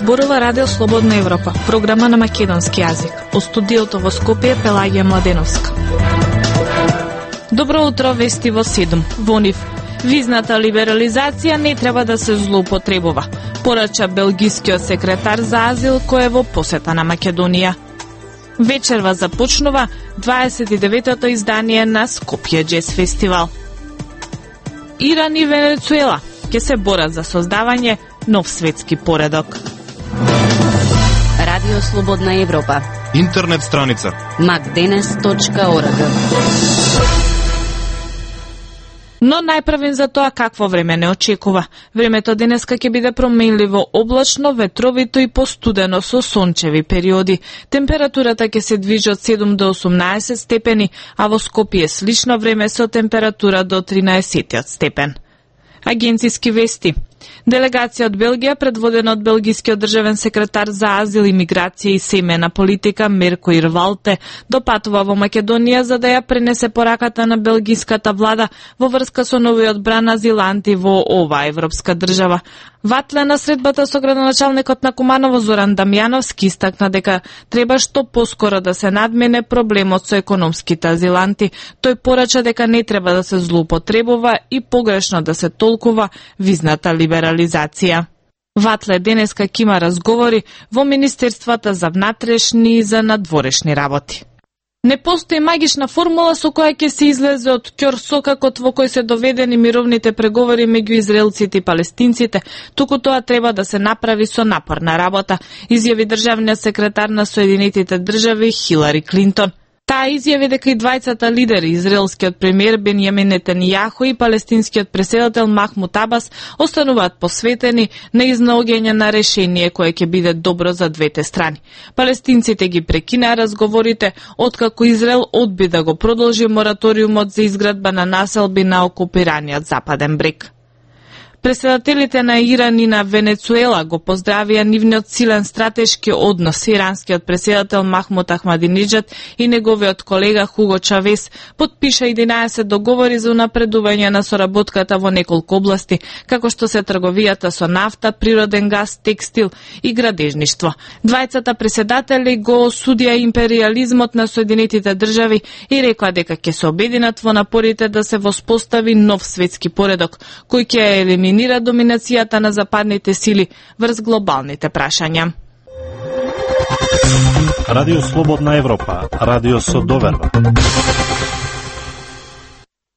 зборува Радио Слободна Европа, програма на македонски јазик. Од студиото во Скопје Пелагија Младеновска. Добро утро, вести во 7. Во нив визната либерализација не треба да се злоупотребува, порача белгискиот секретар за азил кој е во посета на Македонија. Вечерва започнува 29-то издание на Скопје Джез фестивал. Иран и Венецуела ќе се борат за создавање нов светски поредок. Радио Слободна Европа. Интернет страница macdenes.org. Но најпрвен за тоа какво време не очекува. Времето денеска ќе биде променливо облачно, ветровито и постудено со сончеви периоди. Температурата ќе се движи од 7 до 18 степени, а во Скопје слично време со температура до 13 степен. Агенциски вести. Делегација од Белгија, предводена од белгискиот државен секретар за азил, имиграција и семејна политика Мерко Ирвалте, допатува во Македонија за да ја пренесе пораката на белгиската влада во врска со новиот бран азиланти во оваа европска држава. Ватле на средбата со градоначалникот на Куманово Зоран Дамјановски истакна дека треба што поскоро да се надмене проблемот со економските азиланти. Тој порача дека не треба да се злоупотребува и погрешно да се толкува визната либерализација. Ватле денеска ќе има разговори во Министерствата за внатрешни и за надворешни работи. Не постои магична формула со која ќе се излезе од ќорсокакот во кој се доведени мировните преговори меѓу израелците и палестинците, туку тоа треба да се направи со напорна работа, изјави државниот секретар на Соединетите држави Хилари Клинтон. Таа изјави дека и двајцата лидери, израелскиот премиер Бенјамин Нетанијаху и палестинскиот претседател Махмуд Абас, остануваат посветени на изнаоѓање на решение кое ќе биде добро за двете страни. Палестинците ги прекинаа разговорите откако Израел одби да го продолжи мораториумот за изградба на населби на окупираниот Западен брег. Претседателите на Иран и на Венецуела го поздравија нивниот силен стратешки однос. Иранскиот претседател Махмуд Ахмадинеджад и неговиот колега Хуго Чавес потпиша 11 договори за унапредување на соработката во неколку области, како што се трговијата со нафта, природен газ, текстил и градежништво. Двајцата претседатели го осудија империализмот на Соединетите држави и рекоа дека ќе се обединат во напорите да се воспостави нов светски поредок, кој ќе елиминира доминацијата на западните сили врз глобалните прашања. Радио Слободна Европа, радио со доверба.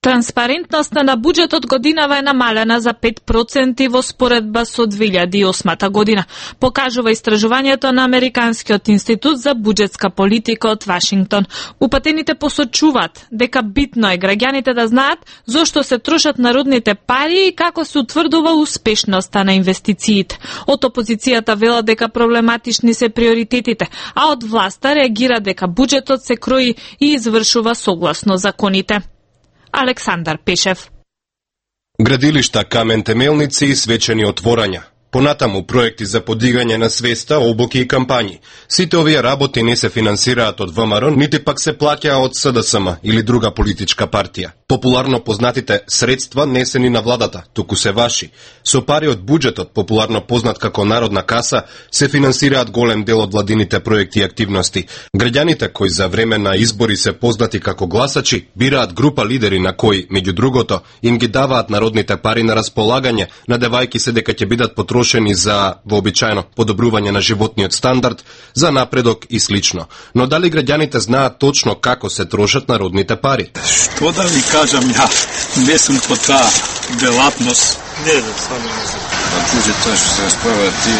Транспарентноста на буџетот годинава е намалена за 5% во споредба со 2008 година, покажува истражувањето на Американскиот институт за буџетска политика од Вашингтон. Упатените посочуваат дека битно е граѓаните да знаат зошто се трошат народните пари и како се утврдува успешноста на инвестициите. Од опозицијата вела дека проблематични се приоритетите, а од власта реагира дека буџетот се крои и извршува согласно законите. Александар Пешев. Градилишта, камен темелници и свечени отворања. Понатаму проекти за подигање на свеста, обуки и кампањи. Сите овие работи не се финансираат од ВМРО, нити пак се плаќаа од СДСМ или друга политичка партија. Популарно познатите средства не се ни на владата, туку се ваши. Со пари од буџетот, популарно познат како Народна каса, се финансираат голем дел од владините проекти и активности. Граѓаните кои за време на избори се познати како гласачи, бираат група лидери на кои, меѓу другото, им ги даваат народните пари на располагање, надевајки се дека ќе бидат потрошени за вообичаено подобрување на животниот стандард, за напредок и слично. Но дали граѓаните знаат точно како се трошат народните пари? Што да ви кажам, ја не сум по таа делатност. Не, само не знам. Буџетот што се расправа, ти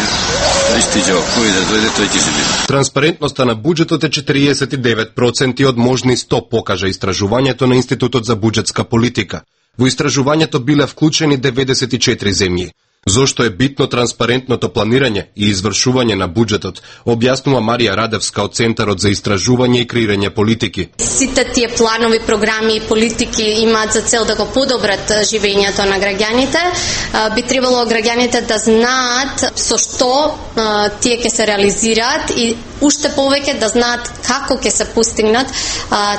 пристиѓа, кој да дојде, тој ќе се биде. Транспарентноста на буџетот е 49% од можни 100, покажа истражувањето на Институтот за буџетска политика. Во истражувањето биле вклучени 94 земји. Зошто е битно транспарентното планирање и извршување на буџетот, објаснува Марија Радевска од Центарот за истражување и креирање политики. Сите тие планови, програми и политики имаат за цел да го подобрат живењето на граѓаните. Би требало граѓаните да знаат со што тие ќе се реализираат и уште повеќе, да знаат како ќе се постигнат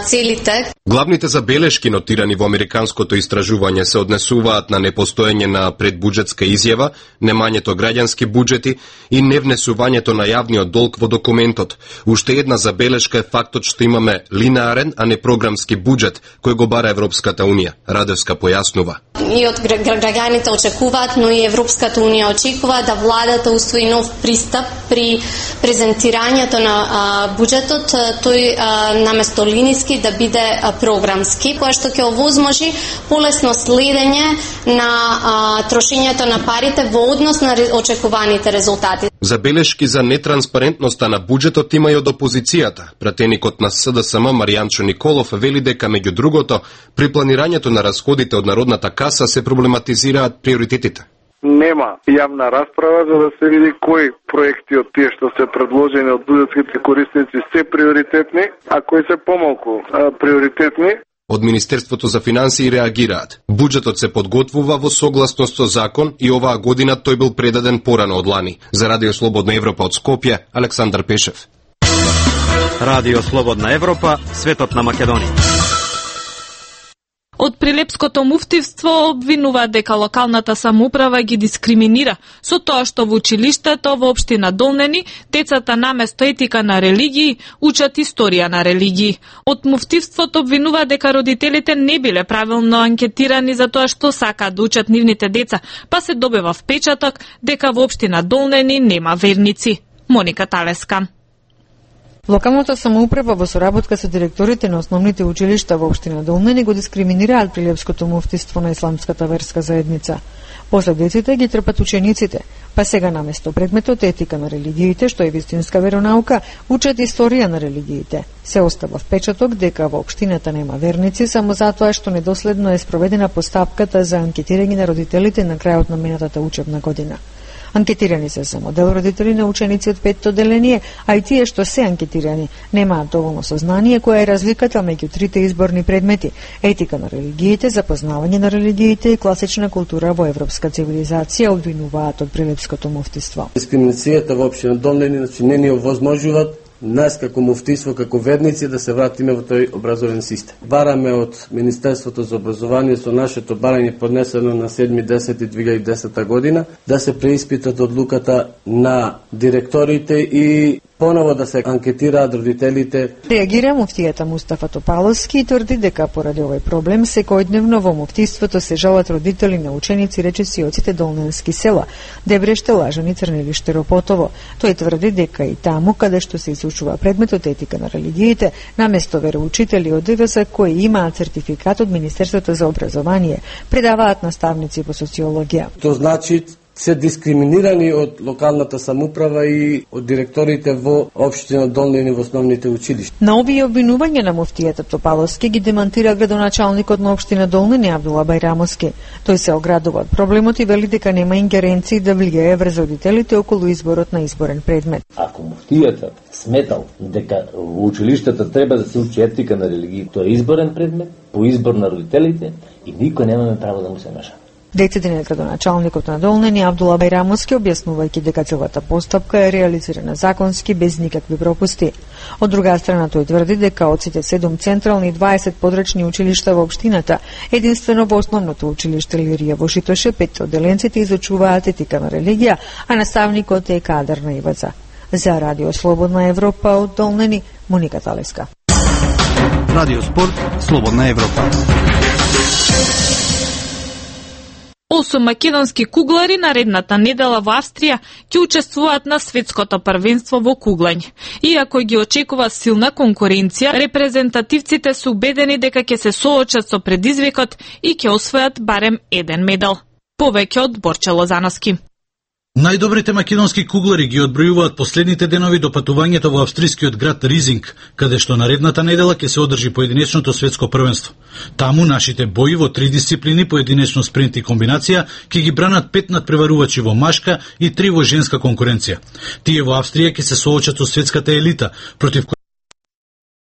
целите. Главните забелешки нотирани во американското истражување се однесуваат на непостоење на предбуџетска изјава, немањето граѓански буџети и невнесувањето на јавниот долг во документот. Уште една забелешка е фактот што имаме линеарен, а не програмски буџет кој го бара Европската унија. Радевска појаснува. И од граѓаните очекуваат, но и Европската унија очекува да владата усвои нов пристап при презентирањето на буџетот, тој наместо линиски да биде програмски, која што ќе овозможи полесно следење на трошењето на парите во однос на очекуваните резултати. Забелешки за нетранспарентноста на буџетот има и од опозицијата. Пратеникот на СДСМ Маријанчо Николов вели дека меѓу другото при планирањето на расходите од Народната каса се проблематизираат приоритетите. Нема јавна расправа за да се види кои проекти од тие што се предложени од буџетските корисници се приоритетни, а кои се помалку приоритетни. Од Министерството за финансии реагираат. Буџетот се подготвува во согласност со закон и оваа година тој бил предаден порано од лани. За Радио Слободна Европа од Скопје, Александар Пешев. Радио Слободна Европа, светот на Македонија. Од Прилепското муфтивство обвинуваат дека локалната самоуправа ги дискриминира со тоа што во училиштето во општина Долнени децата наместо етика на религии учат историја на религии. Од муфтивството обвинуваат дека родителите не биле правилно анкетирани за тоа што сакаат да учат нивните деца, па се добива впечаток дека во општина Долнени нема верници. Моника Талеска. Локалната самоуправа во соработка со директорите на основните училишта во општина Долнени го дискриминираат Прилепското муфтиство на исламската верска заедница. Последиците ги трпат учениците, па сега наместо предметот етика на религиите, што е вистинска веронаука, учат историја на религиите. Се остава впечаток дека во општината нема верници само затоа што недоследно е спроведена постапката за анкетирање на родителите на крајот на минатата учебна година. Анкетирани се само дел родители на ученици од 5-то деление, а и тие што се анкетирани немаат доволно сознание која е разликата меѓу трите изборни предмети: етика на религиите, запознавање на религиите и класична култура во европска цивилизација, обвинуваат од Прилепското муфтиство. Дискриминацијата во општина Долнени не ни овозможуваат нас како муфтиство, како верници да се вратиме во тој образовен систем. Бараме од Министерството за образование со нашето барање поднесено на 7.10.2010 година да се преиспитат одлуката на директорите и поново да се анкетираат родителите. Реагира муфтијата Мустафа Топаловски и тврди дека поради овој проблем секојдневно во муфтиството се жалат родители на ученици, речиси од сите долненски села: Дебреште, Лажани, Црнелиште, Ропотово. Тој тврди дека и таму каде што се изучува предметот етика на религиите, наместо вероучители од ДВС кои имаат сертификат од Министерството за образование, предаваат наставници по социологија. Тоа значи се дискриминирани од локалната самоуправа и од директорите во општина Долнени во основните училишта. На овие обвинувања на муфтијата Топаловски ги демантира градоначалникот на општина Долнени Абдула Бајрамовски. Тој се оградува од проблемот и вели дека нема ингеренции да влијае врз родителите околу изборот на изборен предмет. Ако муфтијата сметал дека во училиштата треба да се учи етика на религија, тоа е изборен предмет по избор на родителите и никој немаме право да му се меша. Децидениот градоначалникот на Долнени Абдула Бајрамовски, објаснувајќи дека целата постапка е реализирана законски без никакви пропусти. Од друга страна, тој тврди дека од сите 7 централни и 20 подрачни училишта во општината, единствено во основното училиште Лирија во Шитоше 5 одделенците изучуваат етика на религија, а наставникот е кадар на ИВЦ. За Радио Слободна Европа од Долнени, Моника Талеска. Радио Спорт, Слободна Европа. 8 македонски куглари наредната недела во Австрија ќе учествуваат на светското првенство во куглање. Иако ги очекува силна конкуренција, репрезентативците се убедени дека ќе се соочат со предизвикот и ќе освојат барем еден медал. Повеќе од Борче Лозановски. Најдобрите македонски куглари ги одбројуваат последните денови до патувањето во австрискиот град Ризинг, каде што наредната недела ќе се одржи поединечното светско првенство. Таму нашите бои во 3 дисциплини, поединечно спринт и комбинација, ќе ги бранат 5 надпреварувачи во машка и 3 во женска конкуренција. Тие во Австрија ќе се соочат со светската елита, против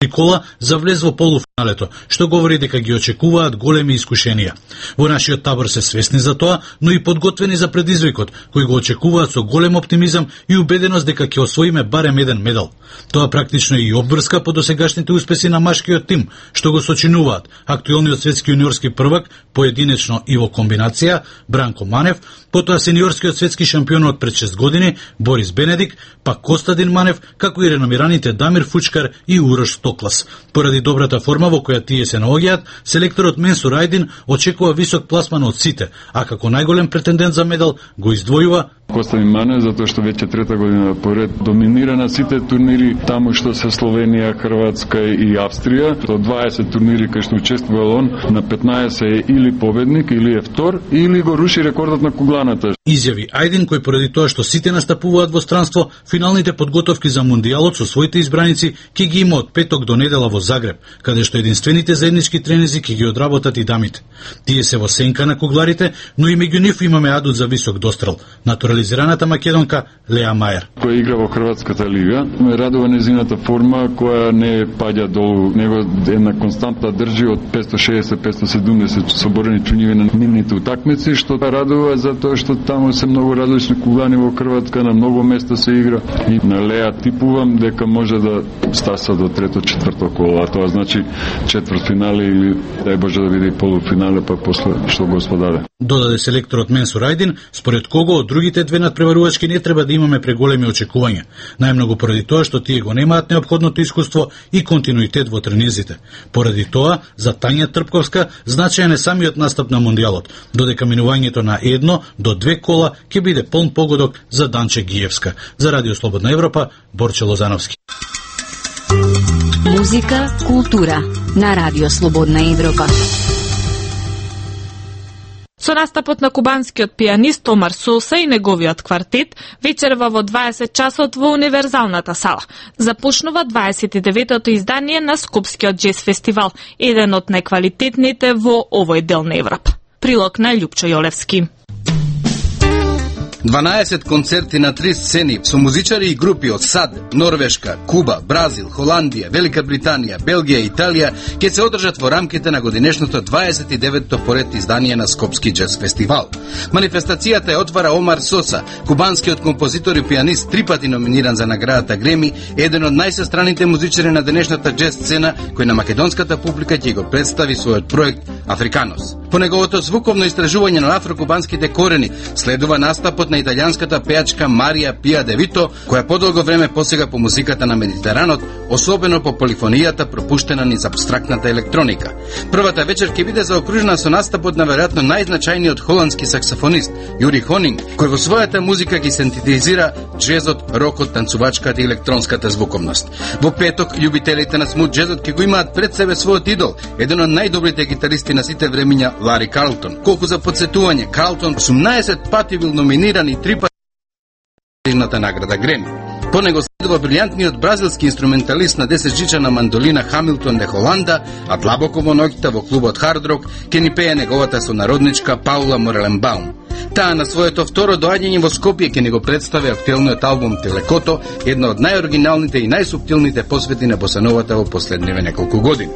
кола за влез во полуфиналето, што говори дека ги очекуваат големи искушенија. Во нашиот табор се свесни за тоа, но и подготвени за предизвикот, кој го очекуваат со голем оптимизам и убеденост дека ќе освоиме барем еден медал. Тоа практично и обврска по досегашните успеси на машкиот тим, што го сочинуваат актуелниот светски јуниорски првак, поединечно и во комбинација, Бранко Манев, потоа сениорскиот светски шампион од пред 6 години, Борис Бенедик, пак Костадин Манев, како и реномираните Дамир Фучкар и Урош Токлас. Поради добрата форма во која тие се наоѓаат, селекторот Менсур Ајдин очекува висок пласман од сите, а како најголем претендент за медал го издвојува Костадин Манев, затоа што веќе трета година поред доминира на сите турнири таму што се Словенија, Хрватска и Австрија. Од 20 турнири кај што учествувал он, на 15 е или победник, или е втор, или го руши рекордот на кугланата. Изјави Ајдин, кој поради тоа што сите настапуваат во странство, финалните подготовки за мундијалот со своите избраници ќе ги има од петок до недела во Загреб, каде што единствените заеднички тренинзи ќе ги одработат и дамите. Тие се во сенка на кугларите, но и меѓу нив имаме адут за висок дострел. Натурализираната македонка Леа Мајер, која игра во Хрватската лига, ме радува незината форма која не паѓа долу, него една константна држи од 560-570 соборени чуњеви на нивните утакмици, што радува затоа што таму се многу различни куглани во Хрватска, на многу места се игра и на Леа типувам дека може да стаса до трето-четврто коло, а тоа значи четвртфинале или дај Боже да биде и полуфинале, па после што го сподаде. Додаде селекторот Менсур Ајдин, според кого од другите две надпреварувачки не треба да имаме преголеми очекувања, најмногу поради тоа што тие го немаат неопходното искуство и континуитет во тренизите. Поради тоа, за Тања Трпковска значаен е самиот настап на мундијалот, додека минувањето на 1 до 2 кола ќе биде полн погодок за Данче Гиевска. За Радио Слободна Европа, Борче Лозановски. Музика, култура на Радио Слободна Европа. Со настапот на кубанскиот пианист Омар Соса и неговиот квартет, вечерва во 20 часот во Универзалната сала. Започнува 29-то издание на Скопскиот джез фестивал, еден од најквалитетните во овој дел на Европа. Прилог на Љупчо Јолевски. 12 концерти на 3 сцени со музичари и групи од САД, Норвешка, Куба, Бразил, Холандија, Велика Британија, Белгија и Италија ќе се одржат во рамките на годинешното 29-то поред издание на Скопски джез фестивал. Манифестацијата ја отвара Омар Соса, кубанскиот композитор и пианист, 3 пати номиниран за наградата Греми, еден од најсестраните музичари на денешната джез сцена, кој на македонската публика ќе го представи својот проект Африканос. По неговото звуковно истражување на афрокубанските корени следува настапот на италијанската пејачка Марија Пија де Вито, која подолго време посега по музиката на Медитеранот, особено по полифонијата пропуштена низ абстрактната електроника. Првата вечер ќе биде заокружена со настапот на веројатно најзначајниот холандски саксофонист Јури Хонинг, кој во својата музика ги синтетизира джезот, рокот, танцувачката и електронската звуковност. Во петок, љубителите на смут джезот ќе го имаат пред себе својот идол, еден од најдобрите гитаристи на сите времиња, Лари Карлтон. Колку за подсетување, Карлтон 18 пати бил номиниран и 3 пати награда Греми. По него следува брилјантниот бразилски инструменталист на 10-жичана мандолина Хамилтон де Холанда, а длабоко во ноќта во клубот Hard Rock ќе ни пее неговата сонародничка Паула Мореленбаум. Таа на своето второ доаѓање во Скопје ќе ни го представи актуелниот албум Телекото, една од најоригиналните и најсуптилните посвети на босановата во последниве неколку години.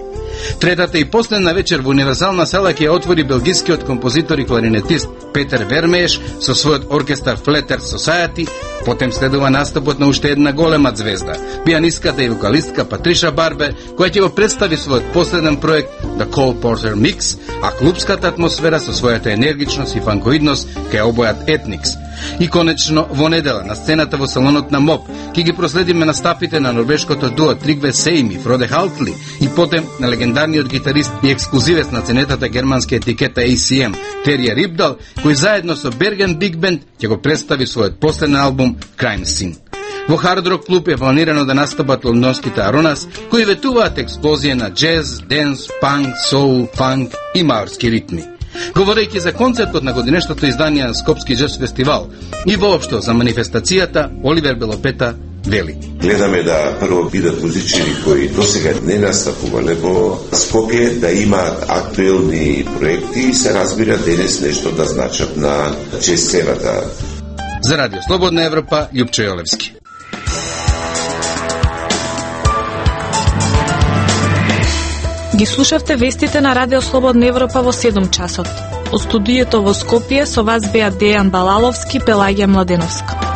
Третата и последна вечер во Универзална сала ќе ја отвори белгискиот композитор и кларинетист Петер Вермееш со својот оркестар Flatter Society, потем следува настапот на уште една голема звезда, пианистката и вокалистка Патриша Барбер, која ќе го представи својот последен проект The Cole Porter Mix, а клубската атмосфера со својата енергичност и фанкоидност ќе обојат Ethnix. И конечно, во недела на сцената во салонот на МОП ќе ги проследиме настапите на норвешкото дуо Тригве Сейми, Фроде Халтли и потем на легендарниот гитарист и ексклузивец на ценетата германска етикета ACM, Терија Рипдал, кој заедно со Берген Биг Бенд ќе го представи својот последен албум Crime Scene. Во Hard Rock клуб е планирано да настапат лондонските Аронас, кои ветуваат експлозија на джез, денс, панк, соул, фанк и маорски ритми. Говорејќи за концертот на годинешното издание на Скопски джез фестивал и воопшто за манифестацијата, Оливер Белопета вели: Гледаме да прво бидат музичари кои досега не настапувале во Скопје, да имаат актуелни проекти и се разбира денес нешто да значат на джез сцената. За Радио Слободна Европа, Љупчо Јолевски. Ги слушавте вестите на Радио Слободна Европа во 7 часот. Од студиото во Скопје со вас беа Дејан Балаловски, Пелагија Младеновска.